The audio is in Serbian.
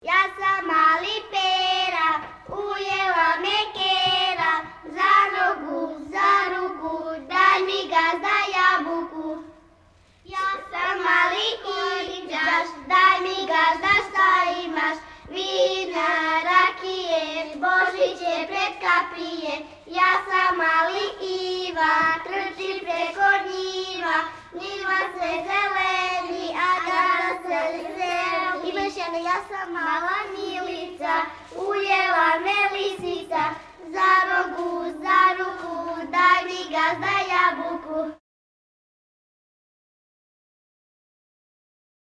Ja sam mali Pera, ujela me Kera, za ruku, daj mi gazda jabuku. Ja sam mali Indžaš, daj mi gazda šta imaš, vina, rakije, Božić je pred kapije. Ja sam mali Iva, trči preko njiva, njiva se zeleni, a gazda se veseli. Ja sam mala Milica,